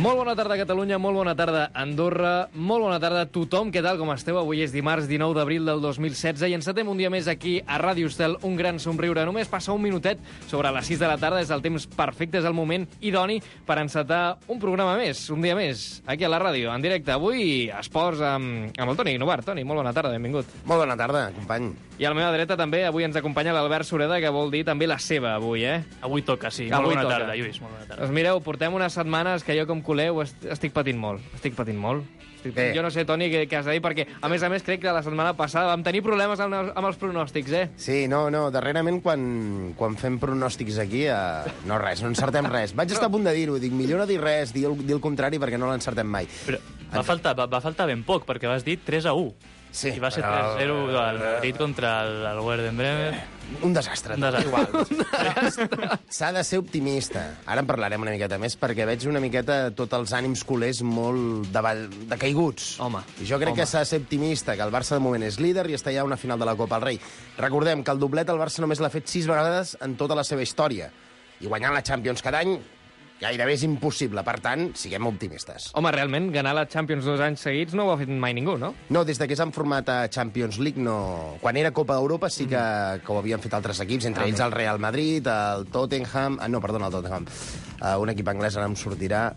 Molt bona tarda, Catalunya, molt bona tarda, Andorra, molt bona tarda a tothom. Què tal, com esteu? Avui és dimarts 19 d'abril del 2016 i encetem un dia més aquí a Ràdio Estel, un gran somriure. Només passa un minutet sobre les 6 de la tarda, és el temps perfecte, és el moment idoni per encetar un programa més, un dia més, aquí a la ràdio, en directe. Avui esports amb el Toni Novart. Toni, molt bona tarda, benvingut. Molt bona tarda, company. I a la meva dreta també avui ens acompanya l'Albert Sureda, que vol dir també la seva avui, Avui toca, sí. Avui molt bona toca. tarda, Lluís, molt bona tarda. Doncs mireu, portem unes setmanes que jo com culeu estic patint molt. Jo no sé, Toni, què has de dir, perquè a més crec que la setmana passada vam tenir problemes amb els pronòstics, Sí, no, darrerament quan fem pronòstics aquí, no encertem res. Vaig estar a punt de dir-ho, dic, millor no dir res, dir el contrari perquè no l'encertem mai. Però va faltar ben poc, perquè vas dir 3-1. Sí, I va ser 3-0 el Madrid contra el Werder Bremen. Un desastre. Igual. S'ha de ser optimista. Ara en parlarem una miqueta més, perquè veig una miqueta tots els ànims culers molt decaiguts. Home. I jo crec que s'ha de ser optimista, que el Barça de moment és líder i està ja a una final de la Copa del Rei. Recordem que el doblet el Barça només l'ha fet 6 vegades en tota la seva història. I guanyant la Champions cada any gairebé és impossible. Per tant, siguem optimistes. Home, realment, ganar la Champions 2 anys seguits no ho ha fet mai ningú, no? No, des que s'han format a Champions League, no. Quan era Copa d'Europa sí que ho havien fet altres equips, entre ells el Real Madrid, el Tottenham... el Tottenham. Un equip anglès ara em sortirà...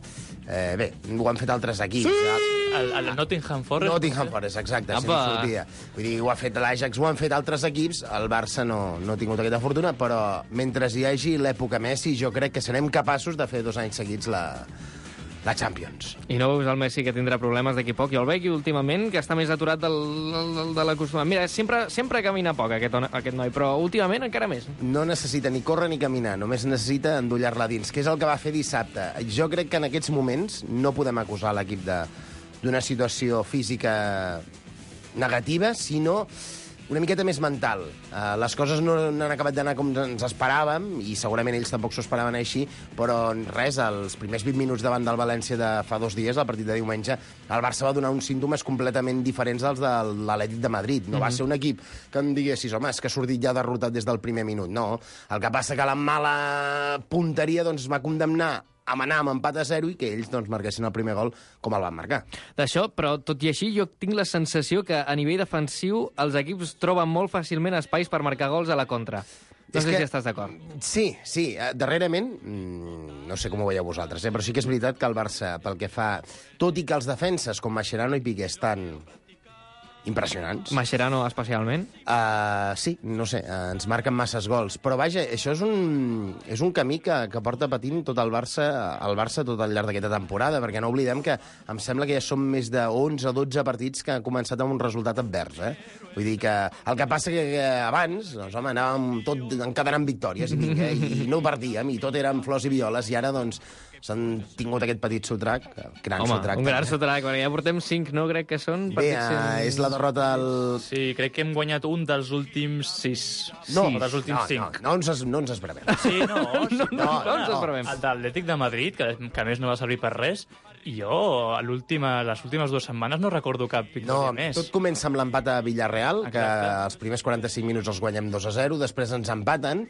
Bé, ho han fet altres equips. Sí! El Nottingham Forest. Nottingham Forest, exacte, si no sortia. Vull dir, ho ha fet l'Ajax, ho han fet altres equips, el Barça no ha tingut aquesta fortuna, però mentre hi hagi l'època Messi, jo crec que serem capaços de fer 2 anys seguits la Champions. I no veus el Messi que tindrà problemes d'aquí poc? Jo el veig últimament que està més aturat de l'acostumat. Mira, sempre camina poc aquest noi, però últimament encara més. No necessita ni córrer ni caminar, només necessita endollar-la dins, que és el que va fer dissabte. Jo crec que en aquests moments no podem acusar l'equip d'una situació física negativa, sinó una miqueta més mental. Les coses no han acabat d'anar com ens esperàvem, i segurament ells tampoc s'ho esperaven així, però res, els primers 20 minuts davant del València de fa 2 dies, el partit de diumenge, el Barça va donar uns símptomes completament diferents als de l'Atlètic de Madrid. No va ser un equip que em diguessis, home, és que ha sortit ja derrotat des del primer minut. No, el que passa que la mala punteria doncs, va condemnar a anar amb empat a 0 i que ells doncs, marquessin el primer gol com el van marcar. D'això, però tot i així, jo tinc la sensació que a nivell defensiu els equips troben molt fàcilment espais per marcar gols a la contra. No sé si estàs d'acord. Sí. Darrerament, no sé com ho veieu vosaltres, però sí que és veritat que el Barça, pel que fa... Tot i que els defenses com Mascherano i Piqué estan impressionants. Mascherano especialment? Sí, no sé, ens marquen masses gols. Però vaja, això és un camí que porta patint tot el Barça tot al llarg d'aquesta temporada, perquè no oblidem que em sembla que ja són més de 11 o 12 partits que han començat amb un resultat advers. Vull dir que el que passa que abans, doncs, home, anàvem tot encadenant victòries i no perdíem, i tot eren flors i violes, i ara, doncs, s'han tingut aquest petit sotrac, un gran sotrac, perquè ja portem 5, no? Crec que són partits... Bé, és la derrota al... Sí, crec que hem guanyat un dels últims 6. No, dels últims 5. No ens esperem. Sí, no ens esperem. El d'Atlètic de Madrid, que a més no va servir per res, i jo, les últimes 2 setmanes no recordo cap victòria més. Tot comença amb l'empat a Villarreal, exacte, que els primers 45 minuts els guanyem 2-0, després ens empaten,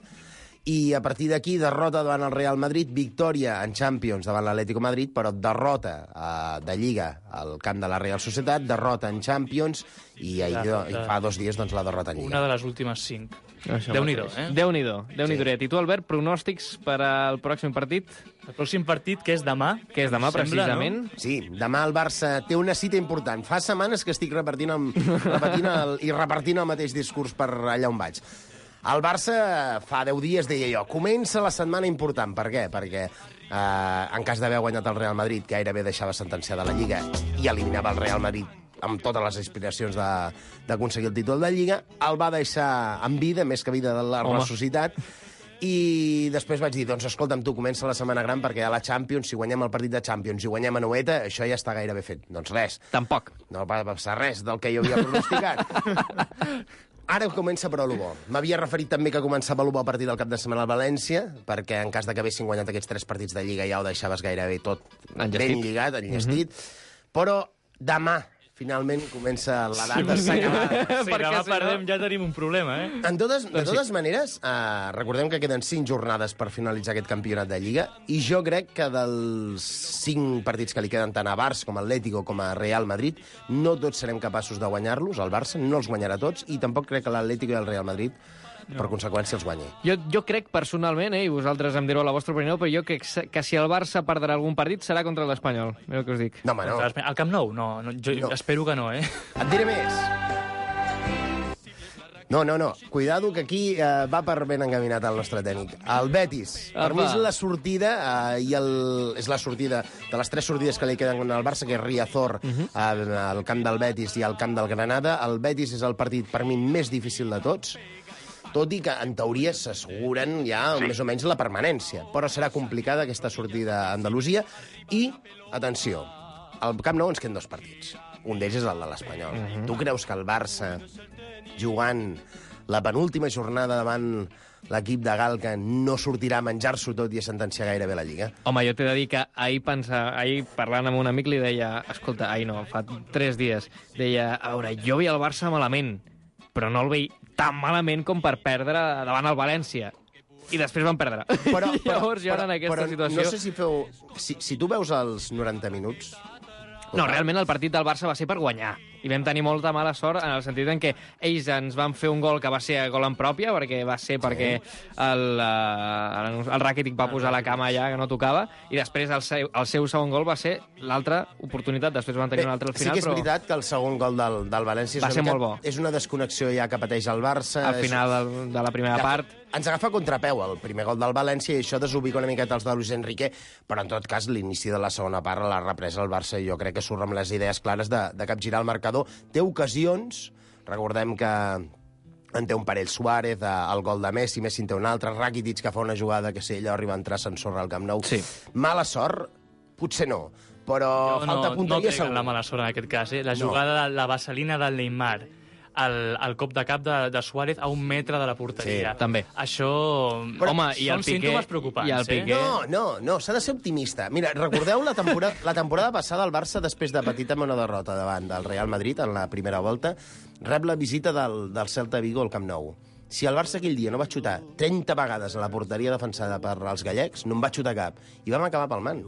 i a partir d'aquí derrota davant el Real Madrid, victòria en Champions davant l'Atlético Madrid, però derrota de Lliga al camp de la Real Societat, derrota en Champions i fa 2 dies doncs, la derrota en Lliga. Una de les últimes 5. Déu-n'hi-do, Déu-n'hi-do. I tu, Albert, pronòstics per al pròxim partit? El pròxim partit, que és demà. Que és demà, precisament. No? Sí, demà el Barça té una cita important. Fa setmanes que estic repartint el mateix discurs per allà on vaig. El Barça fa 10 dies deia jo, comença la setmana important. Per què? Perquè en cas d'haver guanyat el Real Madrid, que gairebé deixava sentenciada la Lliga i eliminava el Real Madrid amb totes les aspiracions d'aconseguir el títol de Lliga, el va deixar en vida, més que vida de la ressuscitat, i després vaig dir, doncs escolta'm, tu comença la setmana gran perquè a la Champions, si guanyem el partit de Champions i guanyem a Noeta, això ja està gairebé fet. Doncs res. Tampoc. No va passar res del que jo havia pronosticat. Ara comença però bo. M'havia referit també que començava bo a partir del cap de setmana al València, perquè en cas de que haguessin guanyat aquests 3 partits de Lliga ja ho deixaves gairebé tot ben lligat, enllestit. Però demà, finalment comença la data, s'ha acabat. Si demà perdem ja tenim un problema, De totes maneres, recordem que queden 5 jornades per finalitzar aquest campionat de Lliga, i jo crec que dels 5 partits que li queden tant a Barça com a Atlético com a Real Madrid, no tots serem capaços de guanyar-los. El Barça no els guanyarà tots, i tampoc crec que l'Atlético i el Real Madrid per conseqüència els guanyi. Jo crec personalment, i vosaltres em direu la vostra opinió, però jo crec que si el Barça perdrà algun partit serà contra l'Espanyol. Mira el que us dic. No, home, no. Al Camp Nou? No, jo espero que no, Et diré més. No. Cuidado, que aquí va per ben encaminat el nostre tècnic. El Betis. Per mi és la sortida, és la sortida de les 3 sortides que li queden al Barça, que és Riazor, al camp del Betis i al camp del Granada. El Betis és el partit, per mi, més difícil de tots, tot i que, en teoria, s'asseguren ja més o menys la permanència. Però serà complicada aquesta sortida a Andalusia. I, atenció, al Camp Nou ens queden 2 partits. Un d'ells és el de l'Espanyol. Tu creus que el Barça, jugant la penúltima jornada davant l'equip de Galca, no sortirà a menjar-s'ho tot i a sentenciar gairebé la Lliga? Home, jo t'he de dir que ahir parlant amb un amic, li deia, escolta, fa 3 dies, deia, a veure, jo veia el Barça malament, però no el veig tan malament com per perdre davant el València. I després van perdre. Llavors, jo en aquesta situació... No sé si feu... Si tu veus els 90 minuts... No, realment el partit del Barça va ser per guanyar. I vam tenir molta mala sort en el sentit en què ells ens van fer un gol que va ser gol en pròpia, perquè el Rakitic va posar la cama allà que no tocava, i després el seu segon gol va ser l'altra oportunitat. Després van tenir un altre al final, sí que és veritat que el segon gol del València va ser molt bo. És una desconnexió ja que pateix el Barça. Al final de la primera part... Ens agafa contrapeu el primer gol del València, i això desubica una miqueta els de Luis Enrique, però en tot cas l'inici de la segona part, la represa del Barça, jo crec que surt amb les idees clares de capgirar el marcador. Té ocasions, recordem que en té un parell Suárez, el gol de Messi en té un altre, Rakitic que fa una jugada que si ell arriba a entrar s'ensorra al Camp Nou. Sí. Mala sort? Potser no, però falta punteria segur. No la mala sort en aquest cas, La jugada de la vaselina del Neymar, el cop de cap de Suárez a 1 metre de la porteria. Sí, també. Això... Home, i són símptomes preocupants, i el Piqué... No, s'ha de ser optimista. Mira, recordeu la temporada passada el Barça, després de petita una derrota davant del Real Madrid en la primera volta, rep la visita del Celta Vigo al Camp Nou. Si el Barça aquell dia no va xutar 30 vegades a la porteria defensada per els gallecs, no en va xutar cap, i vam acabar palmant.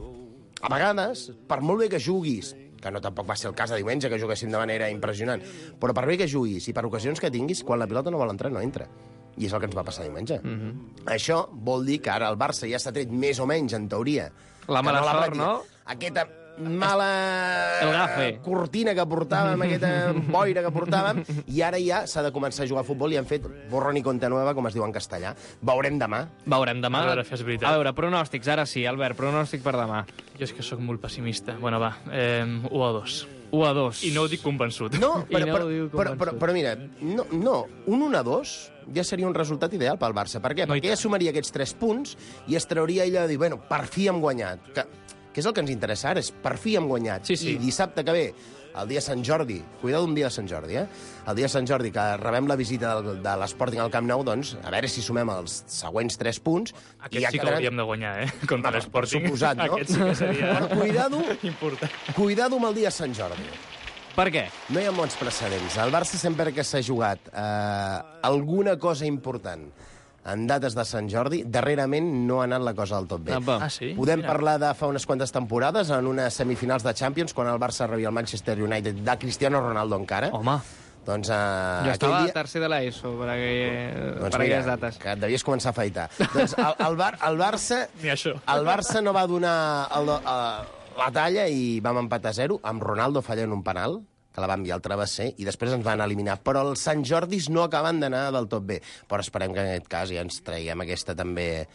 A vegades, per molt bé que juguis, que no tampoc va ser el cas de diumenge, que juguéssim de manera impressionant, però per bé que juguis i per ocasions que tinguis, quan la pilota no vol entrar, no entra. I és el que ens va passar diumenge. Això vol dir que ara el Barça ja s'ha tret més o menys, en teoria. La mala sort, no? Aquesta mala cortina que portàvem, aquesta boira que portàvem, i ara ja s'ha de començar a jugar a futbol i han fet borrón i compte nueva, com es diu en castellà. Veurem demà. A veure, pronòstics, ara sí, Albert, pronòstic per demà. Jo és que sóc molt pessimista. Bueno, va, 1-2. 1-2. I no ho dic convençut. No, però mira, no, un 1-2 ja seria un resultat ideal pel Barça. Per què? Perquè ja sumaria aquests 3 punts i es trauria ella de dir, bueno, per fi hem guanyat. Que és el que ens interessa ara, és per fi hem guanyat. Sí. I dissabte que ve, el dia de Sant Jordi, cuidado un dia de Sant Jordi, el dia de Sant Jordi, que rebem la visita de l'Sporting al Camp Nou, doncs, a veure si sumem els següents 3 punts. Aquest sí que hauríem de guanyar, contra l'Sporting. Suposat, no? Aquest sí que seria important. Cuidado amb el dia de Sant Jordi. Per què? No hi ha molts precedents. El Barça sempre que s'ha jugat alguna cosa important en dates de Sant Jordi, darrerament no ha anat la cosa del tot bé. Sí? Podem parlar de fa unes quantes temporades, en unes semifinals de Champions, quan el Barça rebia el Manchester United de Cristiano Ronaldo encara. Home, doncs, jo estava a tercer de l'ESO per aquelles dates. Que devies començar a afaitar. Doncs el Barça... Ni això. El Barça no va donar la talla i vam empatar 0, amb Ronaldo fallant un penal, que la va enviar al travesser, i després ens van eliminar. Però els Sant Jordis no acaben d'anar del tot bé. Però esperem que en aquest cas ja ens traiguem aquesta també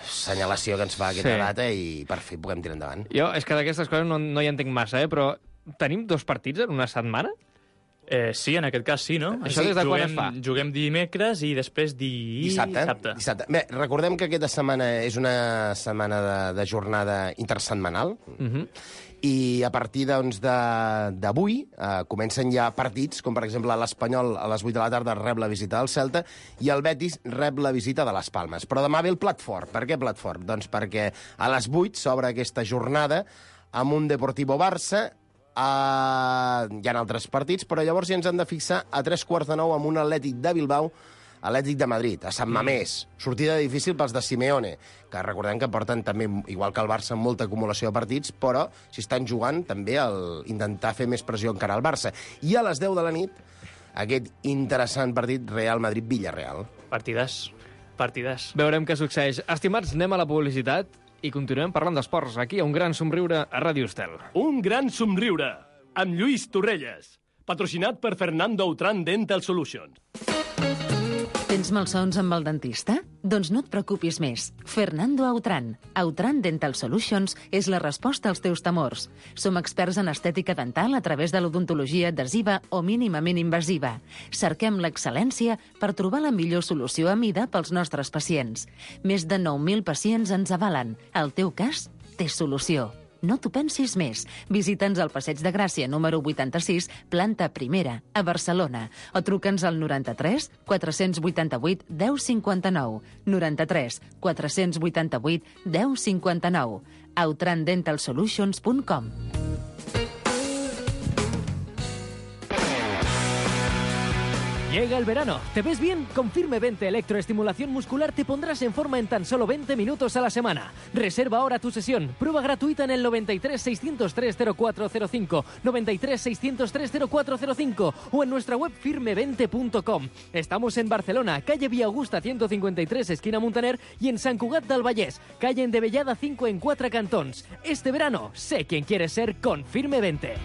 senyalació que ens fa aquesta data i per fi puguem tirar endavant. Jo, és que d'aquestes coses no hi entenc massa, però tenim 2 partits en una setmana? Sí, en aquest cas sí, no? Això des de quan es fa? Juguem dimecres i després dissabte. Bé, recordem que aquesta setmana és una setmana de jornada intersetmanal, i a partir d'avui comencen ja partits, com per exemple l'Espanyol a les 8 de la tarda rep la visita del Celta i el Betis rep la visita de les Palmes. Però demà ve el plat fort. Per què plat fort? Doncs perquè a les 8 s'obre aquesta jornada amb un Deportivo Barça, Hi ha altres partits, però llavors ja ens han de fixar a 8:45 amb un Atlètic de Bilbao, Atlètic de Madrid, a Sant Mamés. Sortida difícil pels de Simeone, que recordem que porten també, igual que el Barça, molta acumulació de partits, però si estan jugant també intentar fer més pressió encara al Barça. I a les 10 de la nit, aquest interessant partit Real Madrid-Villarreal. Partides. Veurem què succeeix. Estimats, anem a la publicitat i continuem parlant d'esports, aquí a Un Gran Somriure a Ràdio Estel. Un Gran Somriure, amb Lluís Torrelles, patrocinat per Fernando Autran Dental Solutions. Tens malsons amb el dentista? Doncs no et preocupis més. Fernando Autran. Autran Dental Solutions és la resposta als teus temors. Som experts en estètica dental a través de l'odontologia adhesiva o mínimament invasiva. Cerquem l'excel·lència per trobar la millor solució a mida pels nostres pacients. Més de 9.000 pacients ens avalen. El teu cas té solució. No t'ho pensis més. Visita'ns al Passeig de Gràcia, número 86, planta primera, a Barcelona. O truca'ns al 93 488 1059. 93 488 1059. outrandentalsolutions.com. Llega el verano. ¿Te ves bien? Con Firme 20 Electroestimulación Muscular te pondrás en forma en tan solo 20 minutos a la semana. Reserva ahora tu sesión. Prueba gratuita en el 93 603 0405, 93 603 0405 o en nuestra web firme20.com. Estamos en Barcelona, calle Vía Augusta 153, esquina Muntaner, y en Sant Cugat del Vallès, calle Endevellada 5 en 4 cantons. Este verano, sé quién quieres ser con Firme 20.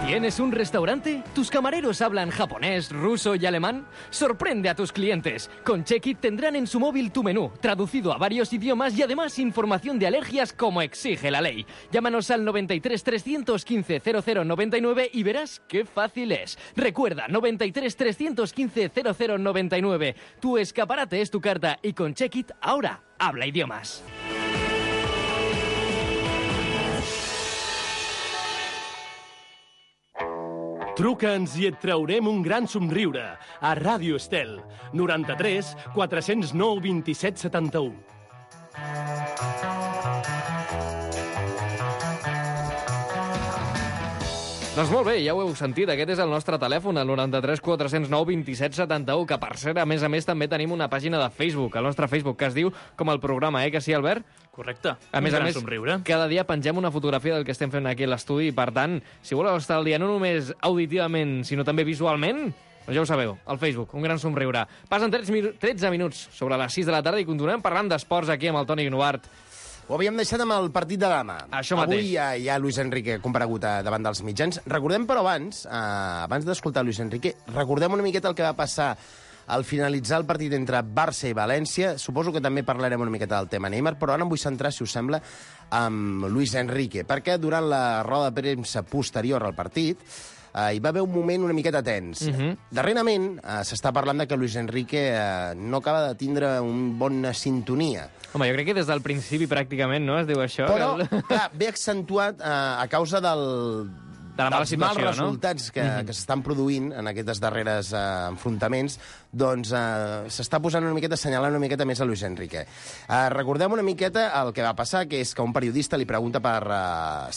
¿Tienes un restaurante? ¿Tus camareros hablan japonés, ruso y alemán? Sorprende a tus clientes. Con Check-It tendrán en su móvil tu menú, traducido a varios idiomas y además información de alergias como exige la ley. Llámanos al 93 315 0099 y verás qué fácil es. Recuerda, 93 315 0099. Tu escaparate es tu carta y con Check-It ahora habla idiomas. Truca'ns i et traurem un gran somriure a Ràdio Estel, 93 409 27 71. Doncs molt bé, ja ho heu sentit, aquest és el nostre telèfon, el 93 409 27 71, que per cert, a més, també tenim una pàgina de Facebook, el nostre Facebook, que es diu com el programa, que sí, Albert? Correcte. A més, somriure. cada dia pengem una fotografia del que estem fent aquí a l'estudi, i per tant, si voleu estar al dia no només auditivament, sinó també visualment, doncs ja ho sabeu, al Facebook, Un Gran Somriure. Passen 13 minuts sobre les 6 de la tarda i continuem parlant d'esports aquí amb el Toni Guinovart. Ho havíem deixat amb el partit de demà. Això mateix. Avui hi ha Luis Enrique comparegut davant dels mitjans. Recordem, però, abans d'escoltar Luis Enrique, recordem una miqueta el que va passar al finalitzar el partit entre Barça i València. Suposo que també parlarem una miqueta del tema Neymar, però ara em vull centrar, si us sembla, amb Luis Enrique, perquè durant la roda de premsa posterior al partit hi va haver un moment una miqueta tens. Darrerament s'està parlant de que Luis Enrique no acaba de tindre una bona sintonia. Home, jo crec que des del principi pràcticament, no?, es diu això. Però, clar, ve accentuat a causa de la mala situació, mals resultats que s'estan produint en aquests darreres enfrontaments, doncs s'està posant una miqueta, assenyalant una miqueta més a Luis Enrique. Recordem una miqueta el que va passar, que és que un periodista li pregunta per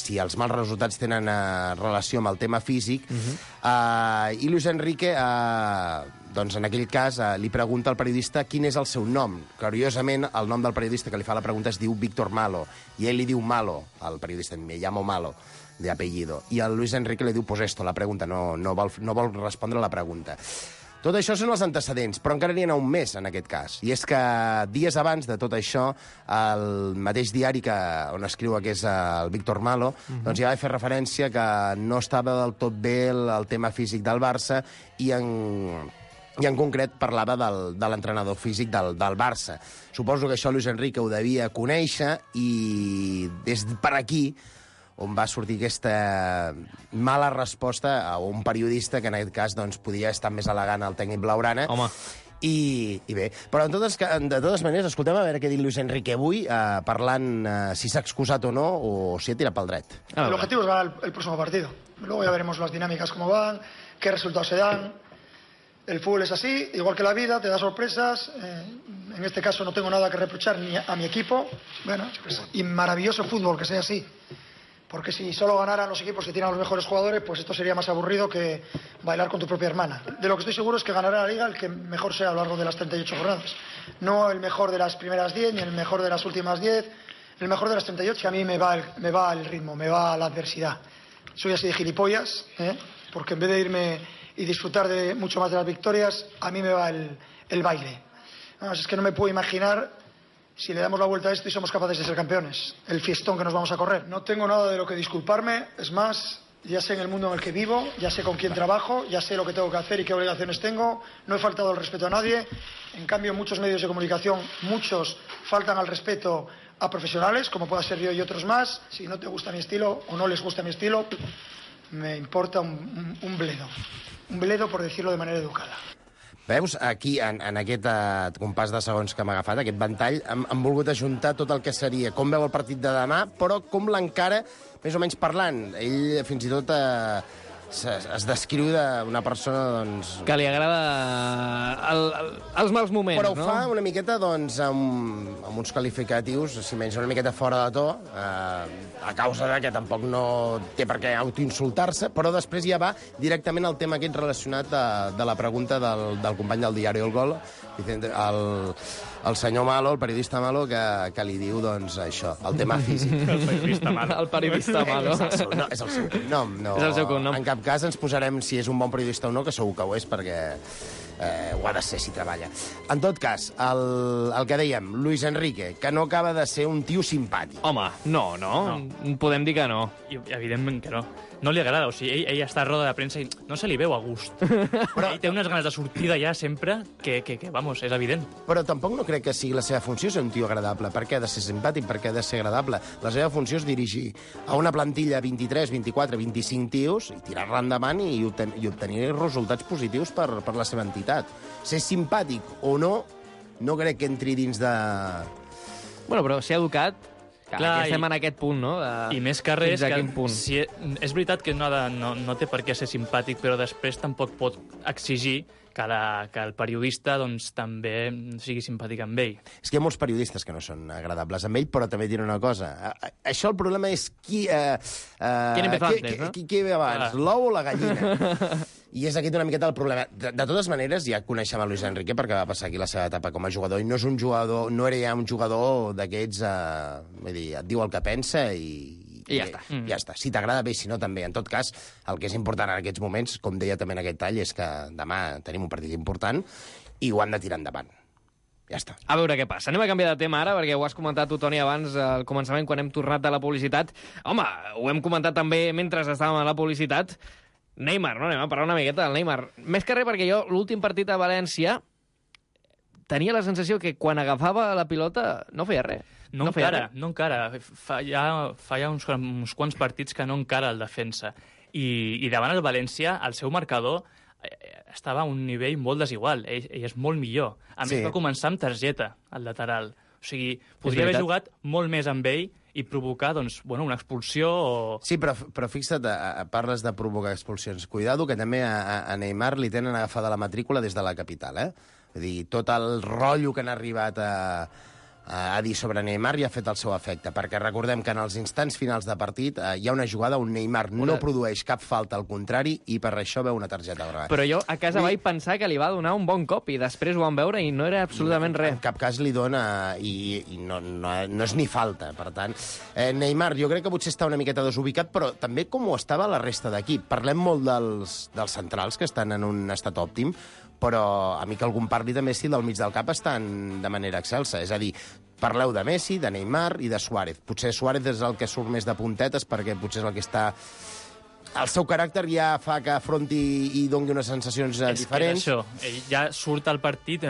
si els mals resultats tenen relació amb el tema físic, i Luis Enrique, doncs en aquell cas, li pregunta al periodista quin és el seu nom. Curiosament, el nom del periodista que li fa la pregunta es diu Víctor Malo, i ell li diu Malo, al periodista, me llamo Malo, de apellido. I el Luis Enrique li diu, pues esto, la pregunta, no vol respondre la pregunta. Tot això són els antecedents, però encara n'hi ha un més en aquest cas. I és que dies abans de tot això, el mateix diari on escriu que és el Víctor Malo, doncs ja va fer referència que no estava del tot bé el tema físic del Barça i en concret parlava de l'entrenador físic del Barça. Suposo que això Luis Enrique ho devia conèixer i des per aquí on va sortir aquesta mala resposta a un periodista que en aquest cas doncs, podia estar més elegant al tècnic blaugrana. Home. I bé, però de totes maneres, escoltem a veure què ha dit Luis Enrique avui, parlant si s'ha excusat o no, o si ha tirat pel dret. El objetivo es ganar el próximo partido. Luego ya veremos las dinámicas cómo van, qué resultados se dan. El fútbol es así, igual que la vida, te da sorpresas. En este caso no tengo nada que reprochar ni a mi equipo. Bueno, y maravilloso fútbol que sea así. Porque si solo ganaran los equipos que tienen a los mejores jugadores, pues esto sería más aburrido que bailar con tu propia hermana. De lo que estoy seguro es que ganará la Liga el que mejor sea a lo largo de las 38 jornadas. No el mejor de las primeras 10, ni el mejor de las últimas 10. El mejor de las 38, que a mí me va el ritmo, me va la adversidad. Soy así de gilipollas, porque en vez de irme y disfrutar de mucho más de las victorias, a mí me va el baile. Es que no me puedo imaginar si le damos la vuelta a esto y somos capaces de ser campeones. El fiestón que nos vamos a correr. No tengo nada de lo que disculparme, es más, ya sé en el mundo en el que vivo, ya sé con quién trabajo, ya sé lo que tengo que hacer y qué obligaciones tengo, no he faltado al respeto a nadie. En cambio, muchos medios de comunicación, muchos faltan al respeto a profesionales, como pueda ser yo y otros más. Si no te gusta mi estilo o no les gusta mi estilo, me importa un bledo. Un bledo, por decirlo de manera educada. Veus, aquí, en aquest compàs de segons que m'ha agafat, aquest ventall, han volgut ajuntar tot el que seria com veu el partit de demà, però com l'encara, més o menys parlant. Ell, fins i tot, es descriu d'una persona, doncs... Que li agrada els mals moments, però no? Però ho fa una miqueta, doncs, amb uns qualificatius, si menys una miqueta fora de to, a causa de que tampoc no té per què autoinsultar-se, però després ja va directament al tema aquest relacionat de la pregunta del company del diari El Gol, el senyor Malo, el periodista Malo, que li diu, doncs, això, el tema físic. El periodista Malo. El periodista Malo. És el seu cognom. No. És el seu cognom. En cap cas ens posarem si és un bon periodista o no, que segur que ho és, perquè ho ha de ser si treballa. En tot cas, el que dèiem, Luis Enrique, que no acaba de ser un tio simpàtic. Home, no. Podem dir que no. I, evidentment que no. No li agrada, o sigui, ell està a roda de premsa i no se li veu a gust. Però ell té unes ganes de sortir d'allà sempre que, vamos, és evident. Però tampoc no crec que sigui la seva funció ser un tio agradable. Per què ha de ser simpàtic? Per què ha de ser agradable? La seva funció és dirigir a una plantilla 23, 24, 25 tios i tirar-la endavant i obtenir resultats positius per la seva entitat. Ser simpàtic o no, no crec que entri dins de... Bueno, però ser educat... Clar, estem en aquest punt, no? I més que res, si és veritat que no té per què ser simpàtic, però després tampoc pot exigir que el periodista doncs, també sigui simpàtic amb ell. És que hi ha molts periodistes que no són agradables amb ell, però també diré una cosa. Això el problema és qui empezó antes, no? Qui ve abans, l'ou o la gallina? I és aquest una miqueta el problema. De totes maneres, ja coneixem a Luis Enrique perquè va passar aquí la seva etapa com a jugador, i no és un jugador, no era ja un jugador d'aquests, vull dir, et diu el que pensa i ja està. Ja està. Si t'agrada bé, si no també. En tot cas, el que és important en aquests moments, com deia també en aquest tall, és que demà tenim un partit important i ho han de tirar endavant. Ja està. A veure què passa. Anem a canviar de tema ara, perquè ho has comentat tu, Toni, abans, al començament, quan hem tornat de la publicitat. Home, ho hem comentat també mentre estàvem a la publicitat. Neymar, no? Anem a parlar una miqueta del Neymar. Més que res perquè jo, l'últim partit a València, tenia la sensació que quan agafava la pilota no feia res. No encara. Fa ja uns quants partits que no encara el defensa. I davant el València, el seu marcador estava a un nivell molt desigual. Ell és molt millor. A més, va començar amb targeta, al lateral. O sigui, podria haver jugat molt més amb ell i provocar, doncs, bueno, una expulsió o... Sí, però fixa't, parles de provocar expulsions. Cuidado, que també a Neymar li tenen agafada la matrícula des de la capital, Vull dir, tot el rotllo que han arribat a dir sobre Neymar ja ha fet el seu efecte, perquè recordem que en els instants finals de partit hi ha una jugada on Neymar no produeix cap falta, al contrari, i per això veu una targeta groga. Però jo a casa vaig pensar que li va donar un bon cop i després ho vam veure i no era absolutament res. En cap cas li dona i no és ni falta, per tant. Neymar, jo crec que potser està una miqueta desubicat, però també com ho estava la resta d'equip. Parlem molt dels centrals, que estan en un estat òptim, però a mi que algun parli de Messi del mig del cap estan de manera excelsa. És a dir, parleu de Messi, de Neymar i de Suárez. Potser Suárez és el que surt més de puntetes perquè potser és el que està... El seu caràcter ja fa que afronti i doni unes sensacions diferents. És que això, ell ja surt al partit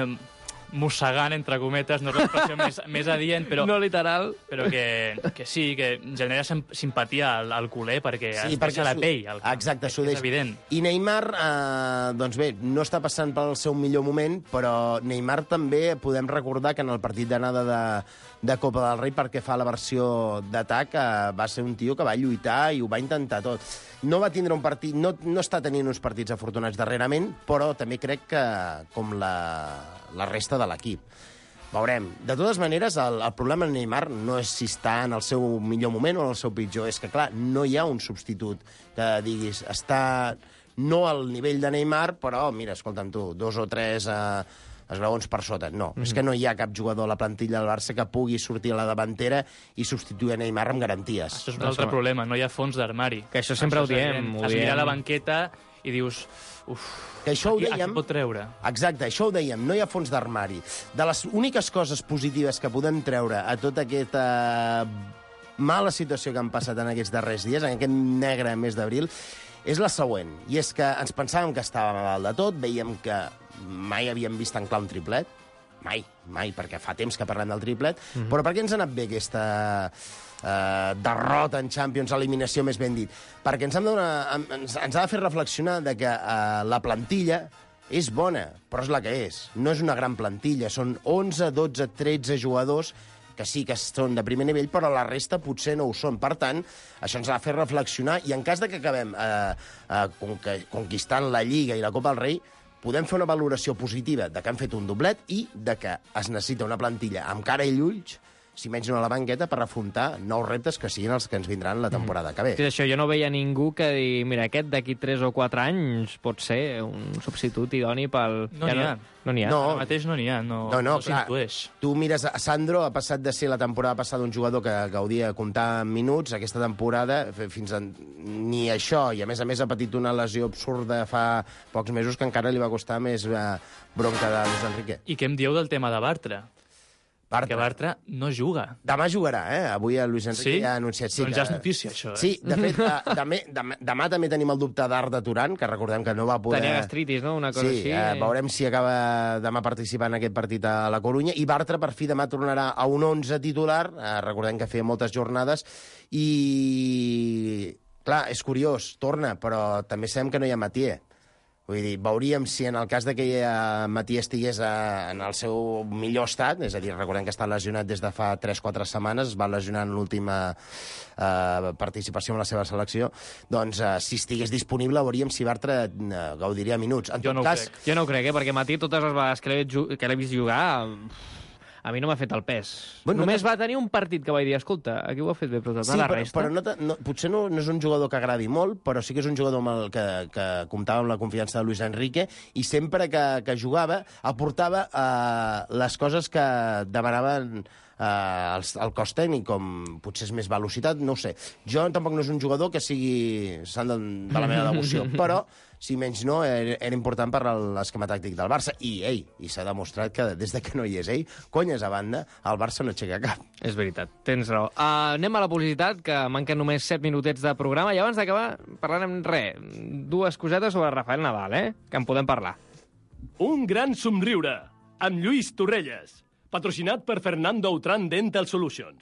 mossegant, entre cometes, no és l'expressió més adient, però... No literal. Però que sí, que genera simpatia al culer perquè es deixa la pell. Exacte, s'ho és evident. I Neymar, doncs bé, no està passant pel seu millor moment, però Neymar també podem recordar que en el partit d'anada de Copa del Rei, perquè fa la versió d'atac, va ser un tio que va lluitar i ho va intentar tot. No va tindre un partit, no està tenint uns partits afortunats darrerament, però també crec que com la resta de l'equip. Veurem. De totes maneres, el problema en Neymar no és si està en el seu millor moment o en el seu pitjor. És que, clar, no hi ha un substitut que diguis està no al nivell de Neymar, però, mira, escolta'm tu, 2 o 3 esglaons per sota. No, és que no hi ha cap jugador a la plantilla del Barça que pugui sortir a la davantera i substituir a Neymar amb garanties. Això és un altre problema, no hi ha fons d'armari. Que això sempre ho diem. Has mirat la banqueta i dius... Que això ho dèiem... Aquí pot treure. Exacte, això ho dèiem, no hi ha fons d'armari. De les úniques coses positives que podem treure a tota aquesta mala situació que han passat en aquests darrers dies, en aquest negre mes d'abril, és la següent. I és que ens pensàvem que estàvem a dalt de tot, veiem que mai havíem vist tan clar un triplet, mai, perquè fa temps que parlem del triplet, però per què ens ha anat bé aquesta derrota en Champions, eliminació més ben dit? Perquè ens ha de fer reflexionar de que la plantilla és bona, però és la que és. No és una gran plantilla, són 11, 12, 13 jugadors que sí que són de primer nivell, però la resta potser no ho són. Per tant, això ens ha de fer reflexionar, i en cas de que acabem conquistant la Lliga i la Copa del Rei, podem fer una valoració positiva de que han fet un doblet i de que es necessita una plantilla amb cara i ulls, si menys no a la banqueta, per afrontar nous reptes que siguin els que ens vindran la temporada que ve. Sí, això, jo no veia ningú que digui, mira, aquest d'aquí 3 o 4 anys pot ser un substitut idoni pel... No n'hi ha. No n'hi ha. No. Ara mateix no n'hi ha, no s'intueix. Tu mires a Sandro, ha passat de ser la temporada passada un jugador que gaudia de comptar minuts, aquesta temporada fins a ni això, i a més ha patit una lesió absurda fa pocs mesos que encara li va costar més bronca de Luis Enrique. I què em dieu del tema de Bartra? Perquè Bartra no juga. Demà jugarà, Avui el Luis Enrique ja ha anunciat. Sí, doncs ja és notícia, això, Sí, de fet, demà també tenim el dubte d'Arda Turan, que recordem que no va poder... Tenia gastritis, no? Una cosa així. Veurem si acaba demà participant en aquest partit a la Corunya. I Bartra, per fi, demà tornarà a un 11 titular. Recordem que feia moltes jornades. I, clar, és curiós, torna, però també sabem que no hi ha Mathieu. Vull dir, veuríem si en el cas de que Mathieu estigués en el seu millor estat, és a dir, recordem que està lesionat des de fa 3-4 setmanes, es va lesionar en l'última participació en la seva selecció, doncs si estigués disponible veuríem si Bartra gaudiria minuts. Jo no ho crec, perquè Mathieu totes les vegades que l'he vist jugar... A mi no m'ha fet el pes. Bueno, només va tenir un partit que vaig dir, escolta, aquí ho ha fet bé, però la resta... Però potser no és un jugador que agradi molt, però sí que és un jugador amb el que comptava amb la confiança de Luis Enrique, i sempre que jugava aportava les coses que demanaven el cos tècnic, com potser és més velocitat, no ho sé. Jo tampoc no és un jugador que sigui sant de la meva devoció, però si menys no, era important per l'esquema tàctic del Barça. I s'ha demostrat que des de que no hi és ell, conyes a banda, el Barça no aixeca cap. És veritat, tens raó. Anem a la publicitat, que manquen només 7 minutets de programa, i abans d'acabar parlarem dues cosetes sobre Rafael Nadal, que en podem parlar. Un gran somriure, amb Lluís Torrelles, patrocinat per Fernando Autran Dental Solutions.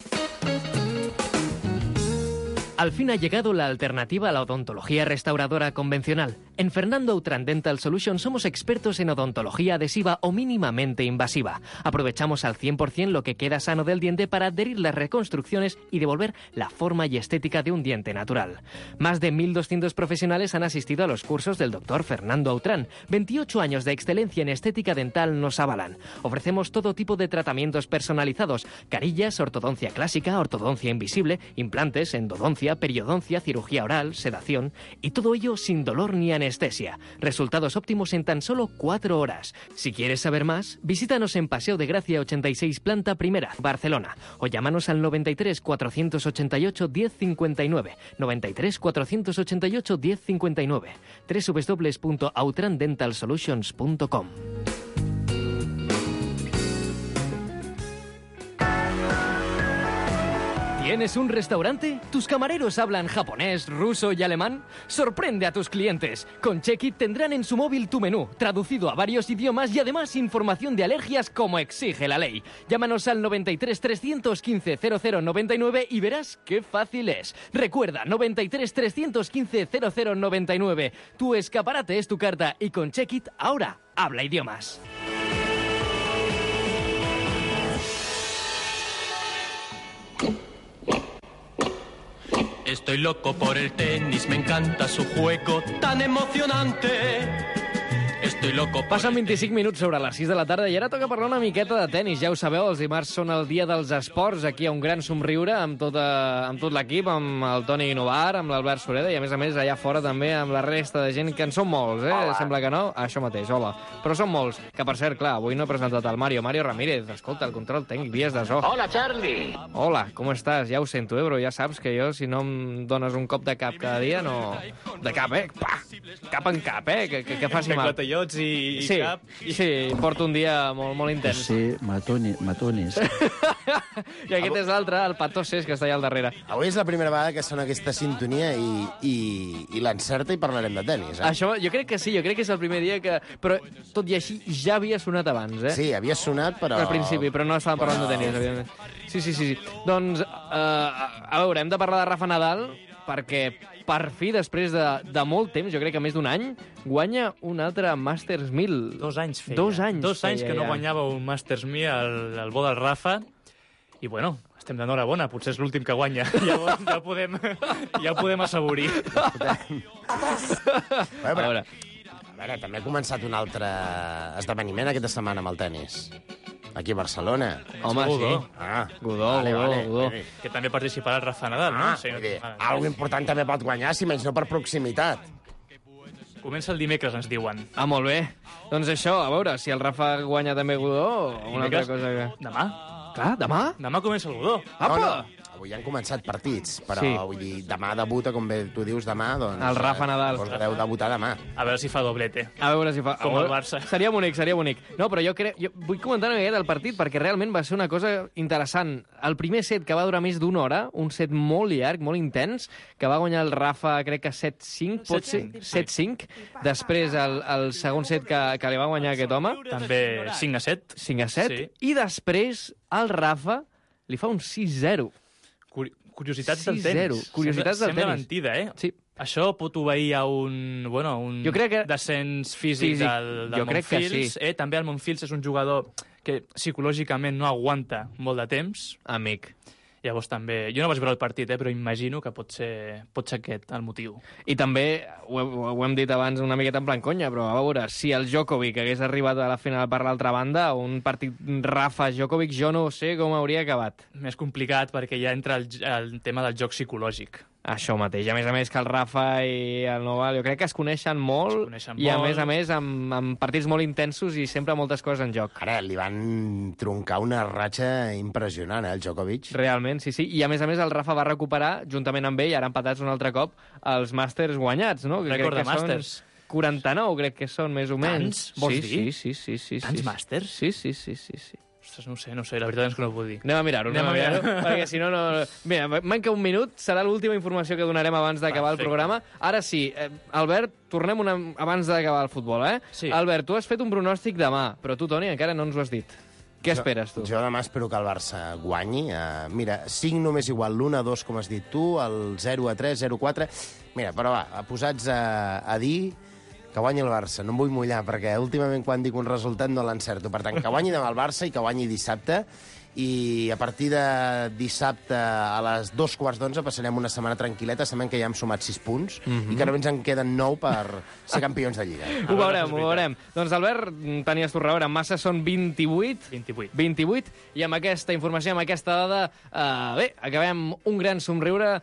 Al fin ha llegado la alternativa a la odontología restauradora convencional. En Fernando Autran Dental Solutions somos expertos en odontología adhesiva o mínimamente invasiva. Aprovechamos al 100% lo que queda sano del diente para adherir las reconstrucciones y devolver la forma y estética de un diente natural. Más de 1.200 profesionales han asistido a los cursos del doctor Fernando Autran. 28 años de excelencia en estética dental nos avalan. Ofrecemos todo tipo de tratamientos personalizados: carillas, ortodoncia clásica, ortodoncia invisible, implantes, endodoncia, periodoncia, cirugía oral, sedación, y todo ello sin dolor ni anestesia. Resultados óptimos en tan solo 4 horas. Si quieres saber más, visítanos en Paseo de Gracia 86, planta primera, Barcelona, o llámanos al 93 488 1059, 93 488 1059, www.autrandentalsolutions.com. ¿Tienes un restaurante? ¿Tus camareros hablan japonés, ruso y alemán? Sorprende a tus clientes. Con Check-It tendrán en su móvil tu menú, traducido a varios idiomas y además información de alergias como exige la ley. Llámanos al 93 315 0099 y verás qué fácil es. Recuerda, 93 315 0099. Tu escaparate es tu carta y con Check-It ahora habla idiomas. Estoy loco por el tenis, me encanta su juego tan emocionante. Estoy loco por Passen 25 minuts sobre les 6 de la tarda i ara toca parlar una miqueta de tenis. Ja ho sabeu, els dimarts són el dia dels esports. Aquí hi ha un gran somriure amb tot l'equip, amb el Toni Novar, amb l'Albert Sureda i, a més, allà fora també amb la resta de gent, que en són molts, eh? Hola. Sembla que no. Això mateix, hola. Però són molts. Que, per cert, clar, avui no he presentat el Mario Ramírez. Escolta, el control tècnic, vies de so. Hola, Charlie. Hola, com estàs? Ja ho sento, bro. Ja saps que jo, si no em dones un cop de cap cada dia, no... De cap, Pa! Cap en cap, que faci mal. Clatellots i sí, cap. Sí, porto un dia molt intens. Sí, matonis. I aquest és l'altre, el Patoses, que està allà al darrere. Avui és la primera vegada que sona aquesta sintonia i l'encerta i parlarem de tenis. Això, jo crec que sí, jo crec que és el primer dia que... Però, tot i així, ja havia sonat abans, eh? Sí, havia sonat, però... Al principi, però no estàvem parlant de tenis, evidentment. Sí. Doncs, a veure, hem de parlar de Rafa Nadal, perquè per fi, després de molt temps, jo crec que més d'un any, guanya un altre Masters 1000. 2 anys feia. 2 anys. 2 anys que no guanyava un Masters 1000 al bo del Rafa. I, bueno, estem d'enhorabona. Potser és l'últim que guanya. Llavors ja podem assaborir. A veure, també ha començat un altre esdeveniment aquesta setmana amb el tenis. Aquí a Barcelona. Home, Godó. sí. Godó. Que també participarà el Rafa Nadal, no? Sí, algo important també pot guanyar, si menys no per proximitat. Comença el dimecres, ens diuen. Ah, molt bé. Doncs això, a veure, si el Rafa guanya també Godó, una altra cosa que... Demà. Clar, demà? Demà comença el Godó. Apa! No. Avui han començat partits, però sí. Vull dir, demà debuta, com bé tu dius, demà, doncs... El Rafa Nadal. Doncs deu debutar demà. A veure si fa doblete. A veure si fa... Com el Barça. Seria bonic. No, però jo vull comentar una miqueta el partit, perquè realment va ser una cosa interessant. El primer set, que va durar més d'una hora, un set molt llarg, molt intens, que va guanyar el Rafa, crec que 7-5, pot ser? 7-5. Després, el segon set que li va guanyar aquest home. També 5-7. 5-7. Sí. I després, el Rafa li fa un 6-0. Curiositats del tenis. Curiositats del tenis. Sembla mentida, eh? Sí. Això pot obeir a un jo crec que... descens físic del Montfils. Sí. També el Montfils és un jugador que psicològicament no aguanta molt de temps. Amic. Llavors també... Jo no vaig veure el partit, però imagino que pot ser aquest el motiu. I també, ho hem dit abans una miqueta en plan conya, però a veure, si el Djokovic hagués arribat a la final per l'altra banda, un partit Rafa-Djokovic, jo no sé com hauria acabat. Més complicat perquè ja entra el tema del joc psicològic. Això mateix. A més que el Rafa i el Novak, jo crec que es coneixen molt, i a més amb partits molt intensos i sempre moltes coses en joc. Ara li van troncar una ratxa impressionant, el Djokovic. Realment, sí. I a més el Rafa va recuperar, juntament amb ell, ara empatats un altre cop, els Masters guanyats, no? Rècord de Masters. 49, crec que són, més o menys. Tants, vols dir? Sí. Tants Masters? Sí. Ostres, no sé, la veritat és que no ho puc dir. Anem a mirar-ho, perquè si no... Mira, manca un minut, serà l'última informació que donarem abans d'acabar el programa. Ara sí, Albert, tornem abans d'acabar el futbol, eh? Sí. Albert, tu has fet un pronòstic demà, però tu, Toni, encara no ens ho has dit. Què esperes, tu? Jo demà espero que el Barça guanyi. Mira, 5 només igual, l'1-2, com has dit tu, el 0-3, 0-4... Mira, però va, posats a dir... que guanyi el Barça. No em vull mullar, perquè últimament quan dic un resultat no l'encerto. Per tant, que guanyi demà el Barça i que guanyi dissabte. I a partir de dissabte a les 2:15 passarem una setmana tranquil·leta, sabem que ja hem sumat 6 punts i que només en queden 9 per ser campions de Lliga. Ho veurem. Doncs, Albert, tenies tu raó, en massa són 28, i amb aquesta informació, amb aquesta dada, bé, acabem un gran somriure,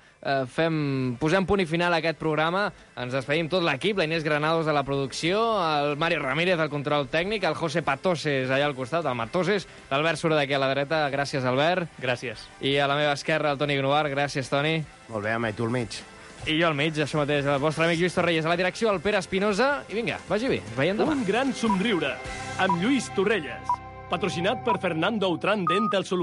posem punt i final a aquest programa, ens despedim tot l'equip, la Inés Granados de la producció, el Mario Ramírez del control tècnic, el José Patoses allà al costat, el Matoses, l'Albert Sureda aquí a la dreta. Gràcies, Albert. Gràcies. I a la meva esquerra, el Toni Novar. Gràcies, Toni. Molt bé, home, i tu al mig. I jo al mig, això mateix, el vostre amic Lluís Torrelles. A la direcció, el Pere Espinosa. I vinga, vagi bé, ens veiem demà. Un gran somriure amb Lluís Torrelles. Patrocinat per Fernando Outram Dental Solutions.